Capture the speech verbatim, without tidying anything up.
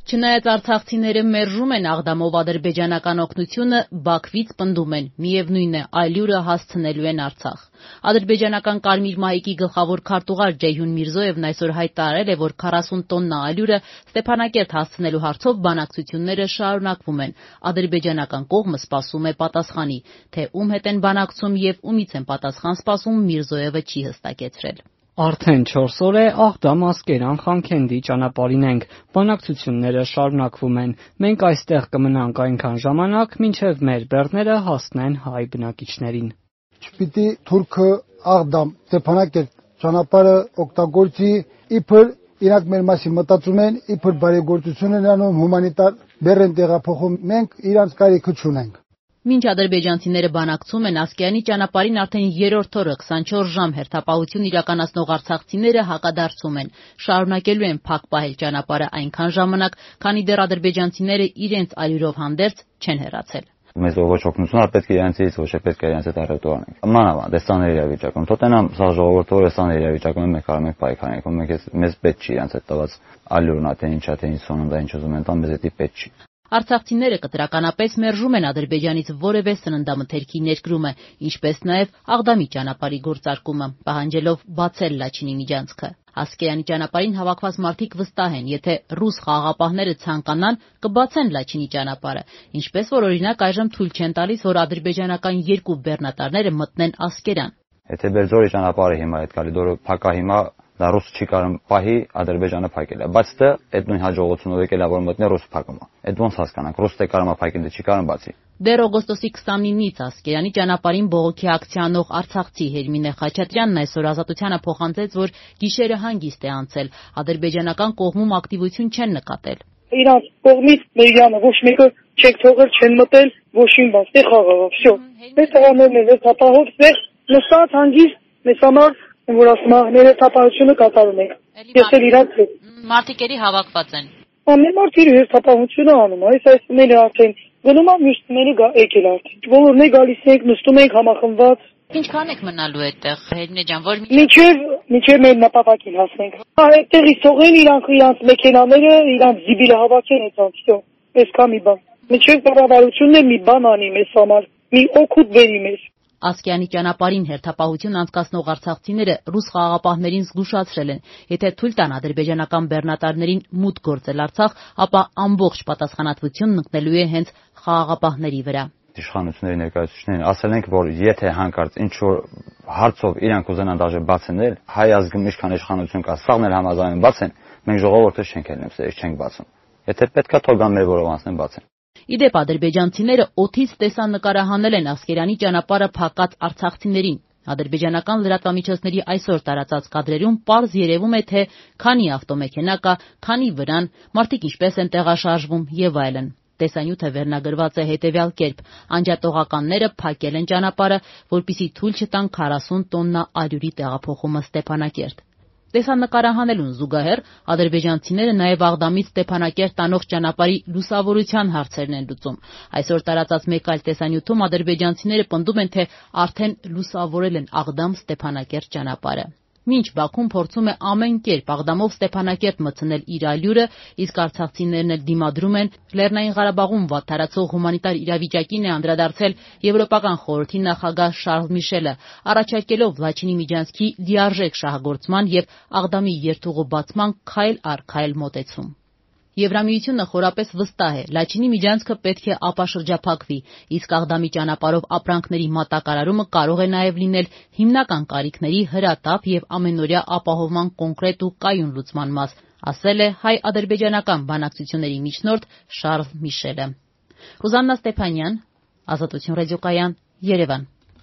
Չնայած արցախցիները մերժում են Աղդամով ադրբեջանական օգնությունը, Բաքվից պնդում են, միևնույն է, այլուրը հասցնելու են Արցախ։ Ադրբեջանական Կարմիր մահիկի գլխավոր քարտուղար Ջեյհուն Միրզոևն այսօր հայտարարել է, որ քառասուն տոննա այլուրը Ստեփանակերտ հասցնելու հարցով բանակցությունները շարունակվում են։ Ադրբեջանական կողմը սպասում է պատասխանի, թե ում հետ են բանակցում եւ ումից են պատասխան սպասում, Միրզոևը չի հստակեցրել։ Արդեն չորս օր է Աղդամ-Ասկերան-Խանքենդի ճանապարհին ենք, բանակցությունները շարունակվում են, մենք այստեղ կմնանք այնքան ժամանակ, մինչև մեր բեռները հասնեն հայ բնակիչներին։ Չպիտի թուրքը Աղդամ-Ստեփանակերտ ճանապարհը օգտագործի, իբր իրանք մեր մասին մտածում են, իբր բարեգործություն են անում, հումանիտար բեռ են տեղափոխում, մենք իրանց կարիքը չունենք։ Մինչ ադրբեջանցիները բանակցում են, Ասկերանի ճանապարհին արդեն երրորդ օրը քսանչորս ժամ հերթապահություն իրականացնող արցախցիները հակադարձում են, շարունակելու են փակ պահել ճանապարհը այնքան ժամանակ, քանի դեռ ադրբեջանցիները իրենց այլուրով հանդերձ չեն հեռացել։ Մեզ ոչ օգնություն, պետք է իրենցից, ոչ է պետք է իրենց հետ առետու անենք։ Մանավանդ դեսաներ իրավիճակում, թոտենամ սա ժողովուրդը դեսաներ իրավիճակում մենք կարող ենք պայքարենք, մենք մեզ պետք չի իրենց հետ տված այլուրն թե ինչա թե ինչ սոննդա ինչ ուզում են տան, մեզ էդի պետք չի։ Արցախցիները կտրականապես մերժում են Ադրբեջանից որևէ սննդամթերքի ներկրումը, ինչպես նաև Աղդամի ճանապարհի գործարկումը, պահանջելով բացել Լաչինի միջանցքը։ Ասկերանի ճանապարհին հավաքված մարդիկ վստահ են, եթե ռուս խաղաղապահները ցանկանան, կբացեն Լաչինի ճանապարհը, ինչպես որ օրինակ այժմ թույլ չեն տալիս, որ ադրբեջանական երկու բեռնատարները մտնեն Ասկերան։ Եթե Բերձորի ճանապարհը հիմա այդ կալիդորը փակա հիմա դա ռուս չի կարող պահի Ադրբեջանը փակել է, բայց դա այդ նույն հաջողությունով եկել է որ մտնի ռուս փակումը։ Այդ ոնց հասկանանք, ռուս թե կարող է փակել, դե չի կարող բացի։ Դեռ օգոստոսի քսանինից Ասկերանի ճանապարհին բողոքի ակցիա անող արցախցի Հերմինե Խաչատրյանն այսօր Ազատությանը փոխանցեց, որ գիշերը հանգիստ է անցել, ադրբեջանական կողմում ակտիվություն չեն նկատել։ Իրանց կողմից Մերյանը ոչ մեկը չեք թողել, չեն մտել, ոչինչ բաց, դե խաղաղ, всё։ Այս տղաներն էլ հապահով ստեղ նստած հանգիստ մեզ համար որ ասում է հերթապահությունը կատարում ենք։ Ես էլ իրանց հետ։ Մարտիկերի հավաքված են։ Ամեն մարդ իր հերթապահությունը անում, այս այսումները արդեն գնում է մյուսները եկել արդեն։ Բոլորն է գալիս ենք, նստում ենք համախմբված։ Ինչքան եք մնալու այդտեղ, Հերմինե ջան, որ Մինչև մինչև մեր նպատակին հասնենք։ Այդտեղից թողեն իրանք իրանք մեքենաները, իրանք զիբիլը հավաքեն այդտեղ, всё։ Այսքան մի բան։ Մինչև կառավարությունն էլ մի բան անի մեզ համար, մի օգուտ բերի մեզ։ Ասկերանի ճանապարհին հերթապահություն անցկացնող արցախցիները ռուս խաղաղապահներին զգուշացրել են, եթե թույլ տան ադրբեջանական բեռնատարներին մուտք գործել Արցախ, ապա ամբողջ պատասխանատվությունն ընկնելու է հենց խաղաղապահների վրա։ Իշխանությունների ներկայացուցիչներին ասել ենք, որ եթե հանկարծ ինչ որ հարցով իրանք ուզենան դաժե բացնել, հայ ազգում ինչքան իշխանություն կա, սաղն էլ համաձայն բացեն, մենք ժողովուրդը չենք ելնեմ, սեր չենք բացում։ Եթե պետքա թող գան մեր որով անցնեն բացեն։ Իդեպ ադրբեջանցիները օդից տեսանկարահանել են Ասկերանի ճանապարհը փակած արցախցիներին։ Ադրբեջանական լրատվամիջոցների այսօր տարածած կադրերում պարզ երևում է, թե քանի ավտոմեքենա կա, քանի վրան, մարդիկ ինչպես են տեղաշարժվում եւ այլն։ Տեսանյութը վերնագրված է հետևյալ կերպ. անջատողականները փակել են ճանապարհը, որպեսզի թույլ չտան քառասուն տոննա այլուրի տեղափոխումը Ստեփանակերտ։ Տեսանկարահանելուն զուգահեռ ադրբեջանցիները նաև Աղդամից Ստեփանակերտ տանող ճանապարհի լուսավորության հարցերն են լուծում։ Այսօր տարածած մեկ այլ տեսանյութում ադրբեջանցիները պնդում են, թե արդեն լուսավորել են Աղդամ-Ստեփանակերտ ճանապարհը։ Մինչ Բաքուն փորձում է ամեն կերպ Աղդամով Ստեփանակերտ մտցնել իր այլուրը, իսկ արցախցիներն էլ դիմադրում են, Լեռնային Ղարաբաղում վատթարացող հումանիտար իրավիճակին է անդրադարձել Եվրոպական խորհրդի նախագահ Շարլ Միշելը, առաջարկելով Լաչինի միջանցքի լիարժեք շահագործման եւ Աղդամի երթուղու բացման քայլ առ քայլ մոտեցում։ Եվրամիությունը խորապես վստահ է, Լաչինի միջանցքը պետք է ապաշրջափակվի, իսկ Աղդամի ճանապարհով ապրանքների մատակարարումը կարող է նաև լինել հիմնական կարիքների հրատապ եւ ամենօրյա ապահովման կոնկրետ ու կայուն լուծման մաս, ասել է հայ-ադրբեջանական բանակցությունների միջնորդ Շարլ Միշելը։ Ռուզաննա Ստեփանյան, Ազատություն ռադիոկայան, Երևան։